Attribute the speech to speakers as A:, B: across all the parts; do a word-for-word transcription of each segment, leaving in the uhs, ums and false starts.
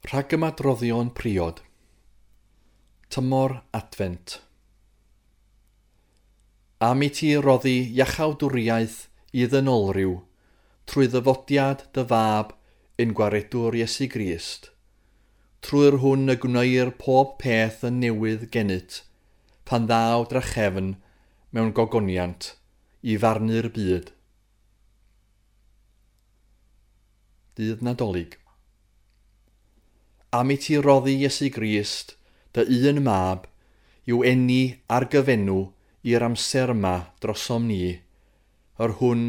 A: Rhagymadroddion priod. Tymor Adfent. Am i ti roddi iachawdwriaeth i ddynolryw trwy ddyfodiad dy fab ein gwaredwr Iesu Grist, trwy'r hwn y gwneir pob peth yn newydd gennyt, pan ddaw drachefn mewn gogoniant i farnu'r byd. Dydd Nadolig. Am i ti roddi Iesu Grist, dy un mab, i'w eni ar gyfenw i'r amser yma drosom ni, yr hwn,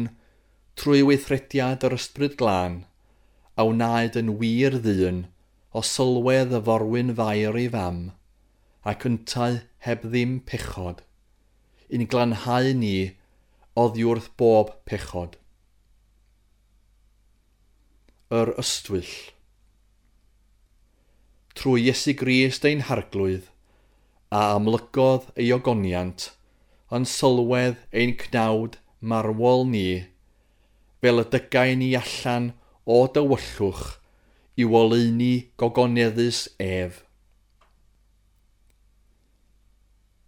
A: trwy weithrediad yr Ysbryd Glân, a wnaed yn wir ddyn o sylwedd y forwyn Fair ei fam, ac yntau heb ddim pechod, i'n glanhau ni oddi wrth bob pechod. Yr Ystwyll. Trwy Iesu Grist ein Harglwydd, a amlygodd ei ogoniant yn sylwedd ein cnawd marwol ni, fel y dygai ni allan o dywyllwch i'w oleuni gogoneddus ef.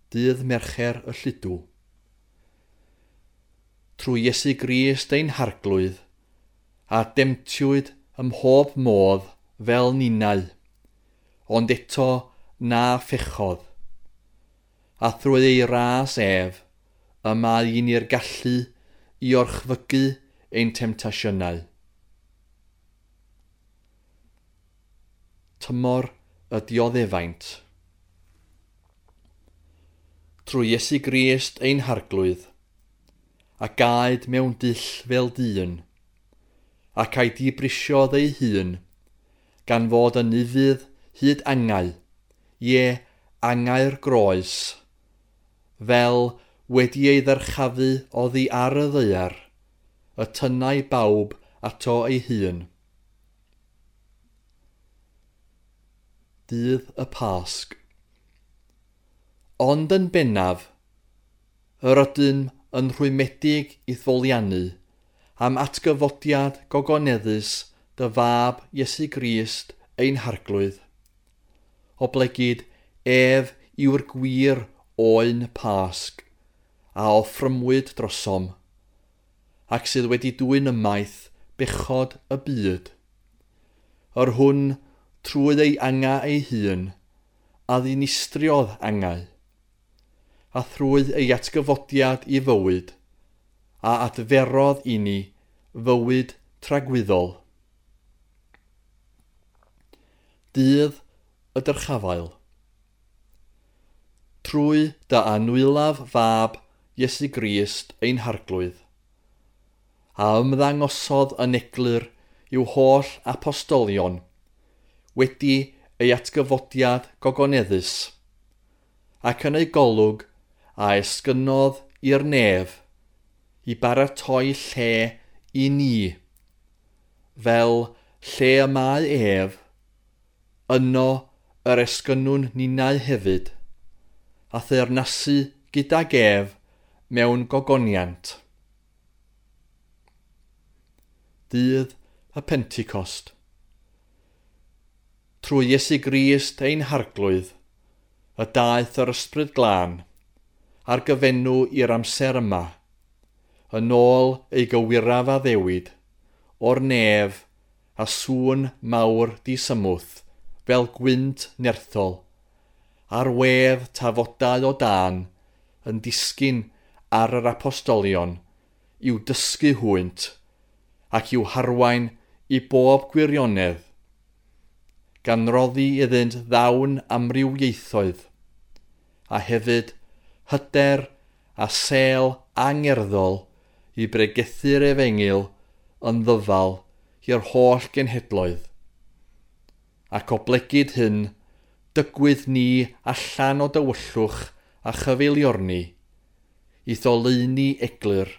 A: Dydd Mercher y Lludw. Trwy Iesu Grist ein Harglwydd, a demtiwyd ym mhob modd fel ninnau, ond eto na phechodd. A thrwy ei ras ef, y mae i ni'r gallu i orchfygu ein temtasiynau. Tymor y dioddefaint. Trwy Iesu Grist ein Harglwydd, a gaed mewn dull fel dyn, ac a'i dibrisiodd ei hun, gan fod yn ufudd hyd angau, ie, angau'r groes, fel wedi ei ddyrchafu oddi ar y ddaear, y tynnai bawb ato ei hun. Dydd y Pasg. Ond yn bennaf, yr ydym yn rhwymedig i'th foliannu am atgyfodiad gogoneddus dy fab Iesu Grist ein Harglwydd, oblegid ef yw'r gwir oen Pasg a offrymwyd drosom, ac sydd wedi dwyn ymaith bechod y byd, yr hwn trwy ei angau ei hun a ddinistriodd angau, a thrwy ei atgyfodiad i fywyd, a adferodd i ni fywyd tragwyddol. Dydd y Dyrchafael. Trwy dy anwylaf fab Iesu Grist ein Harglwydd, a ymddangosodd yn eglur i'w holl apostolion, wedi ei atgyfodiad gogoneddus, ac yn ei golwg a esgynnodd i'r nef i baratoi lle i ni, fel lle y mae ef, yno yr esgynnwn ninnau hefyd, a theyrnasu gydag ef mewn gogoniant. Dydd y Pentecost. Trwy Iesu Grist ein Harglwydd, y daeth yr Ysbryd Glân, ar gyfenw i'r amser yma, yn ôl ei gywiraf addewid, o'r nef a sŵn mawr disymwth, fel gwynt nerthol, a'r wedd tafodau o dân yn disgyn ar yr apostolion i'w dysgu hwynt ac i'w harwain i bob gwirionedd, gan roddi iddynt ddawn amrywiaethoedd, a hefyd hyder a sêl angerddol i bregethu'r efengyl yn ddyfal i'r holl genhedloedd. Ac oblegid hyn, dygwyd ni allan o dywyllwch a chyfeiliorni, i'th oleuni eglur,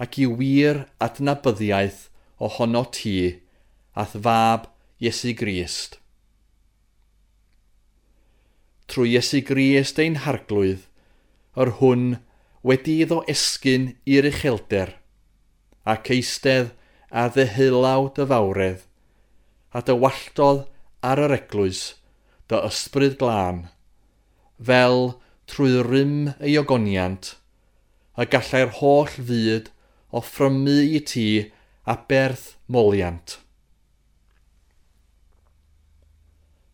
A: ac i wir adnabyddiaeth ohono ti, a'th fab Iesu Grist. Trwy Iesu Grist ein Harglwydd, yr hwn wedi iddo esgyn i'r uchelder, ac eistedd ar ddeheulaw dy fawredd, a dywalltodd ar yr eglwys dy ysbryd glân, fel trwy rym ei ogoniant, y gallai'r holl fyd offrymu i ti aberth moliant.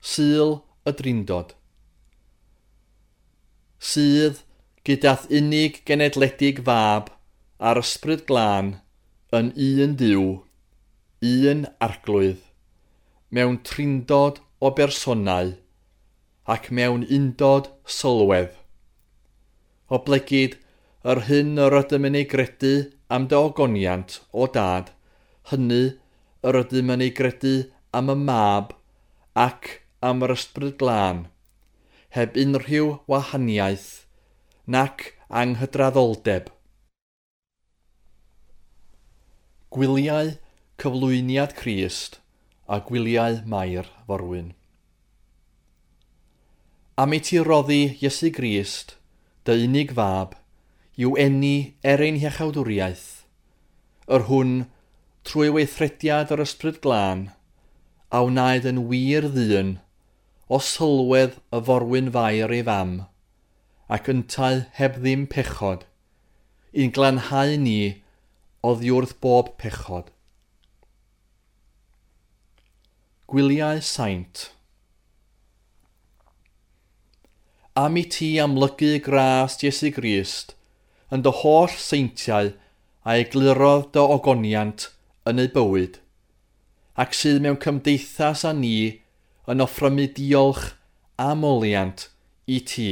A: Sul y Drindod. Sydd gydath unig genedledig fab a'r ysbryd glân yn un Duw, un arglwydd, mewn trindod o bersonau ac mewn undod sylwedd. Oblegid yr hyn yr ydym yn ei gredu am dy ogoniant o dad, hynny yr ydym yn ei gredu am y mab ac am yr ysbryd glân, heb unrhyw wahaniaeth nac anghydraddoldeb. Gwyliau Cyflwyniad Crist a Gwyliau Mair Forwyn. Am i ti roddi Iesu Grist, dy unig fab, i'w eni er ein hiachawdwriaeth, yr hwn, trwy weithrediad yr ysbryd glân, a wnaed yn wir ddyn, o sylwedd y forwyn fair ei fam, ac yntau heb ddim pechod, i'n glanhau ni oddi wrth bob pechod. Gwyliau Saint. Am i ti amlygu gras Iesu Grist yn dy holl seintiau a eglurodd dy ogoniant yn ei bywyd, ac sydd mewn cymdeithas â ni yn offrymu diolch a moliant i ti.